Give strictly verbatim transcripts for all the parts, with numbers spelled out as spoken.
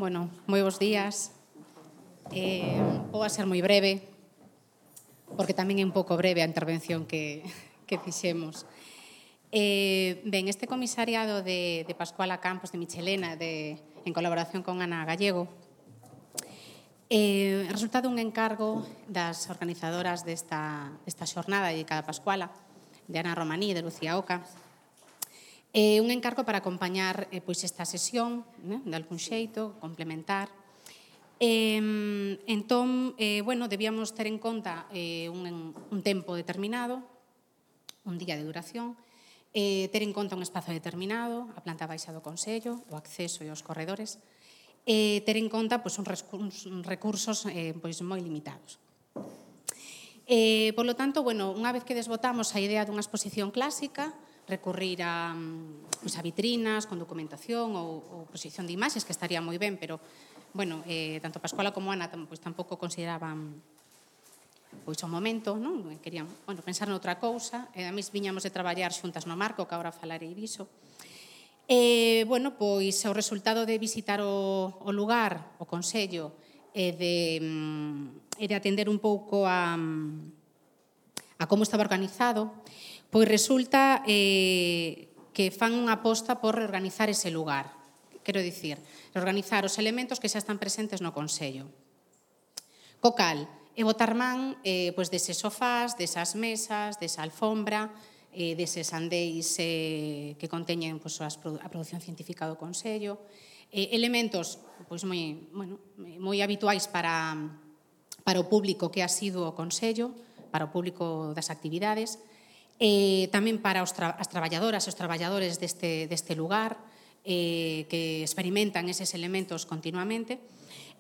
Bueno, moi bons días. Eh, vou a ser moi breve, porque tamén é un pouco breve a intervención que, que fixemos. Eh, ben, este comisariado de, de Pascuala Campos de Michelena, de, en colaboración con Ana Gallego, eh, resulta dun encargo das organizadoras desta, desta xornada dedicada a Pascuala, de Ana Romaní e de Lucía Oca, eh, un encargo para acompañar eh, pois esta sesión, né, de algún xeito, complementar. Eh, entón, eh, bueno, debíamos ter en conta eh, un, un tempo determinado, un día de duración, eh, ter en conta un espazo determinado, a planta baixa do Consello, o acceso e os corredores, e ter en conta pois, uns recursos eh, pois, moi limitados. Eh, por lo tanto, bueno, unha vez que desbotamos a idea dunha exposición clásica, recurrir a, pues, a vitrinas con documentación ou, ou posición de imaxes, que estaría moi ben, pero, bueno, eh, tanto Pascuala como Ana pues, tampouco consideraban pois o momento, non? Querían, bueno, pensar noutra cousa, e a mí viñamos de traballar xuntas no marco, que agora falarei diso. E, bueno, pois o resultado de visitar o, o lugar, o Consello, e de, e de atender un pouco a, a como estaba organizado, pois resulta eh, que fan unha aposta por reorganizar ese lugar. Quero dicir, reorganizar os elementos que xa están presentes no Consello. Co cal, e botar man eh, pois deses sofás, desas mesas, desa alfombra, eh, deses andéis eh, que conteñen pois, as, a produción científica do Consello, eh, elementos pois, moi, bueno, moi habituais para, para o público que ha sido o Consello, para o público das actividades, eh, tamén para os tra as traballadoras e os traballadores deste, deste lugar, eh, que experimentan eses elementos continuamente.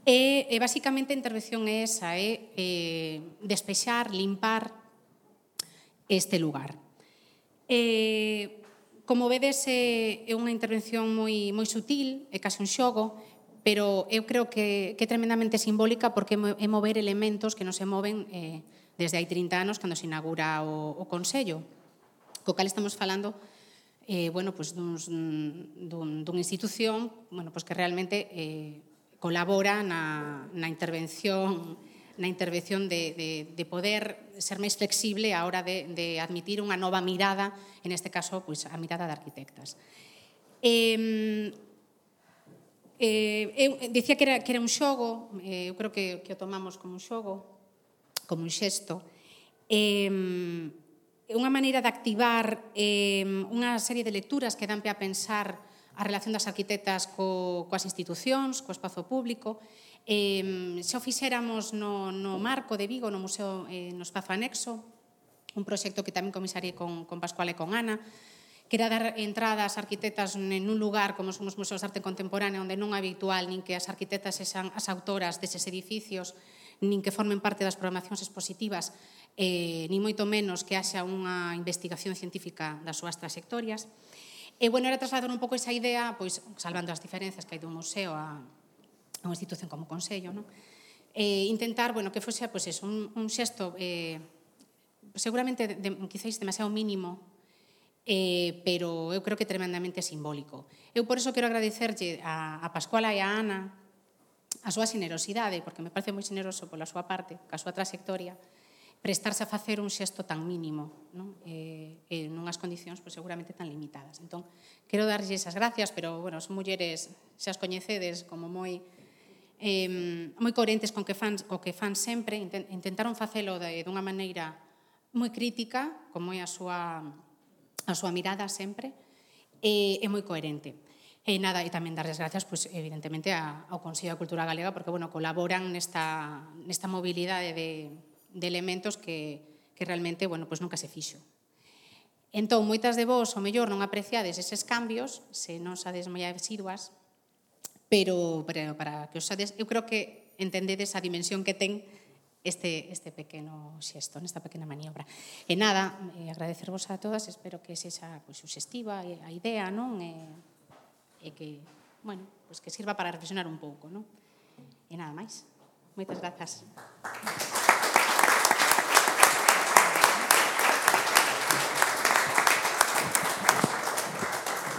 E, e basicamente, a intervención é esa, é eh, despexar, limpar este lugar. Eh, como vedes, é unha intervención moi, moi sutil, é case un xogo, pero eu creo que, que é tremendamente simbólica porque é mover elementos que non se moven eh, desde hai trinta anos, cando se inaugura o, o Consello, co cal estamos falando eh, bueno, pues, duns, dun, dunha institución bueno, pues, que realmente eh, colabora na, na intervención na intervención de, de, de poder ser máis flexible a hora de, de admitir unha nova mirada, en este caso, pues, a mirada de arquitectas. Eh, eh, eu dicía que era, que era un xogo, eh, eu creo que, que o tomamos como un xogo, como un xesto, eh, unha maneira de activar eh, unha serie de lecturas que dan pé a pensar a relación das arquitectas co, coas institucións, co espazo público. Eh, se o fixéramos no, no marco de Vigo, no Museo, eh, no espazo anexo, un proxecto que tamén comisariei con, con Pascuala e con Ana, que era dar entrada ás arquitectas en un lugar como son os museos de arte contemporánea, onde non é habitual nin que as arquitectas sexan as autoras deses edificios, nin que formen parte das programacións expositivas, eh, nin moito menos que haxa unha investigación científica das súas trayectorias. E, bueno, era trasladar un pouco esa idea, pois, salvando as diferenzas que hai dun museo a, a unha institución como o Consello, non? E intentar, bueno, que fose, pois, eso, un, un xesto eh, seguramente, de, de, quizáis, demasiado mínimo, eh, pero eu creo que tremendamente simbólico. Eu, por eso, quero agradecerlle a, a Pascuala e a Ana a súa generosidade, porque me parece moi generoso pola súa parte, ca súa trayectoria, prestarse a facer un xesto tan mínimo, non? E, e nunhas condicións pues, seguramente tan limitadas. Entón, quero darlle esas gracias, pero, bueno, son mulleres, xa as coñecedes, como moi eh, moi coherentes con que fan, co que fan sempre, intentaron facelo de, dunha maneira moi crítica, como é a súa, a súa mirada sempre, e, e moi coherente. E nada, e tamén darles gracias, pues, evidentemente, ao Consello da Cultura Galega, porque, bueno, colaboran nesta, nesta mobilidade de, de elementos que, que realmente, bueno, pues nunca se fixo. Entón, moitas de vos, o mellor, non apreciades eses cambios, se non sades moi asiduas, pero, pero para que os sades, eu creo que entendedes a dimensión que ten este, este pequeno xesto, nesta pequena maniobra. E nada, eh, agradecervos a todas, espero que sexa pues, suxestiva a idea, non? E, e que, bueno, pues que sirva para reflexionar un pouco, non? E nada máis. Moitas grazas.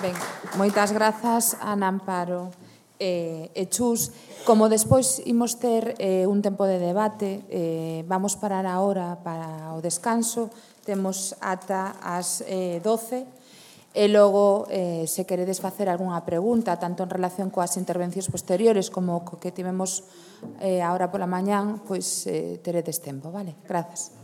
Ben, moitas grazas, Ana Amparo. e, e Chus, como despois imos ter eh, un tempo de debate, eh, vamos parar agora para o descanso, temos ata as eh, doce, e logo, eh, se queredes facer algunha pregunta, tanto en relación coas intervencións posteriores como co que tivemos eh, agora pola mañán, pois eh, teredes tempo, vale? Grazas.